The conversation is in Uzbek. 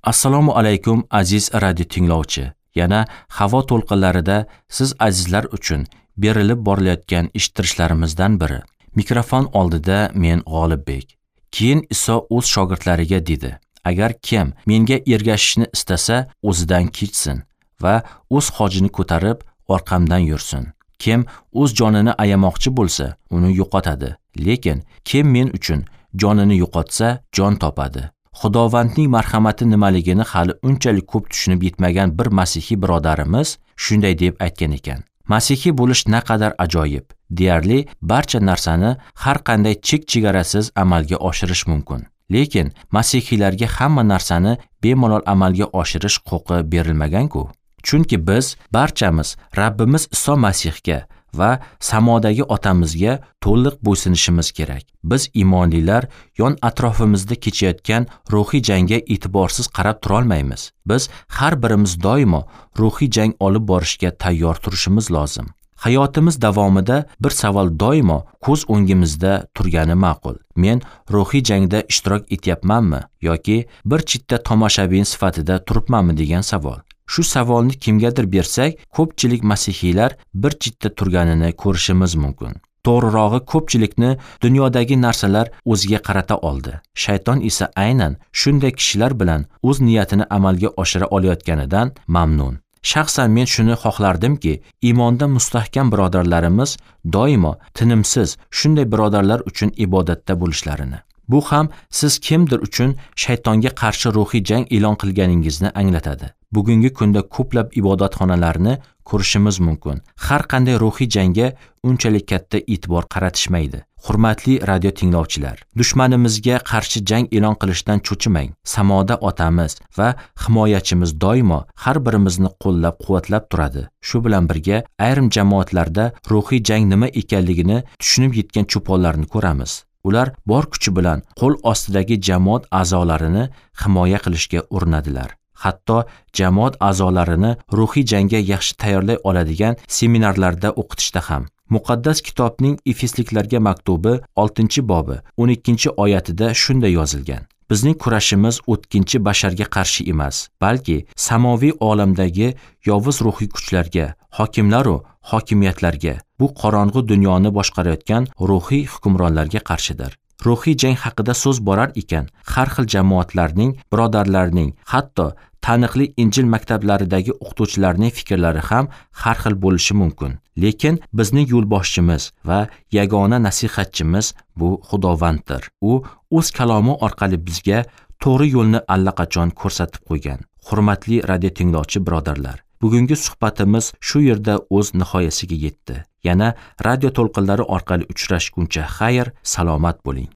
Assalomu alaykum aziz radio tinglovchi. Yana havo to'lqinlarida siz azizlar uchun berilib borilayotgan eshittirishlarimizdan biri. Mikrofon oldida men G'olibbek. Keyin Iso o'z shogirdlariga dedi: Agar kim menga ergashishni istasa, o'zidan kechsin va o'z xojini ko'tarib orqamdan yursin. Kim o'z jonini ayamoqchi bo'lsa, uni yo'qotadi. Lekin kim men uchun jonini yo'qotsa, jon topadi. Xudovandning marhamati nimaligini hali unchalik ko'p tushunib yetmagan bir masihiy birodarimiz shunday deb aytgan ekan: Masihiy bo'lish naqadar ajoyib. Deyarli barcha narsani har qanday chek-chegarasiz amalga oshirish mumkin. Lekin masihiylarga hamma narsani bemalol amalga oshirish huquqi berilmagan-ku. Chunki biz barchamiz Rabbimiz Iso Masihga va samodagi otamizga to'liq bo'ysunishimiz kerak. Biz iymonlilar yon atrofimizda kechayotgan ruhiy jangga e'tiborsiz qarab turolmaymiz. Biz har birimiz doimo ruhiy jang olib borishga tayyor turishimiz lozim. Hayotimiz davomida bir savol doimo ko'z o'ngimizda turgani ma'qul. Men ruhiy jangda ishtirok etyapmanmi yoki bir chetda tomoshabin sifatida turibmanmi degan savol. Shu savolni kimgadir bersak, ko'pchilik masihiylar bir chetda turganini ko'rishimiz mumkin. To'g'rirog'i, ko'pchilikni dunyodagi narsalar o'ziga qarata oldi. Shayton esa aynan shunday kishilar bilan o'z niyatini amalga oshira olayotganidan mamnun. Shaxsan men shuni xohlardimki, iymonda mustahkam birodarlarimiz doimo tinimsiz shunday birodarlar uchun ibodatda bo'lishlarini. Bu ham siz kimdir uchun shaytonga qarshi ruhiy jang e'lon qilganingizni anglatadi. Bugungi kunda ko'plab ibodatxonalarni ko'rishimiz mumkin. Har qanday ruhiy jangga unchalik katta e'tibor qaratishmaydi. Hurmatli radio tinglovchilar, dushmanimizga qarshi jang e'lon qilishdan cho'chimang. Samoda otamiz va himoyachimiz doimo har birimizni qo'llab-quvvatlab turadi. Shu bilan birga ayrim jamoatlarda ruhiy jang nima ekanligini tushunib yetgan cho'ponlarni ko'ramiz. Ular bor kuchi bilan qo'l ostidagi jamoat a'zolarini himoya qilishga urinadilar. Hatto jamoat a'zolarini ruhiy jangga yaxshi tayyorlay oladigan seminarlarda o'qitishda ham. Muqaddas kitobning Efesliklarga maktubi 6-bobi 12-oyatida shunday yozilgan: Bizning kurashimiz o'tkinchi basharga qarshi emas, balki samoviy olamdagi yovuz ruhiy kuchlarga, hokimlar va hokimiyatlarga, bu qorong'u dunyoni boshqarayotgan ruhiy hukmronlarga qarshidir. Ruhiy jang haqida so'z borar ekan, har xil jamoatlarning, birodarlarning, hatto taniqli Injil maktablaridagi o'qituvchilarning fikrlari ham har xil bo'lishi mumkin. Lekin bizning yo'lboshchimiz va yagona nasihatchimiz bu Xudovanddir. U o'z kalomi orqali bizga to'g'ri yo'lni allaqachon ko'rsatib qo'ygan. Hurmatli radio tinglovchi birodarlar, bugungi suhbatimiz shu yerda o'z nihoyasiga yetdi. Yana radio to'lqinlari orqali uchrashguncha xayr, salomat bo'ling.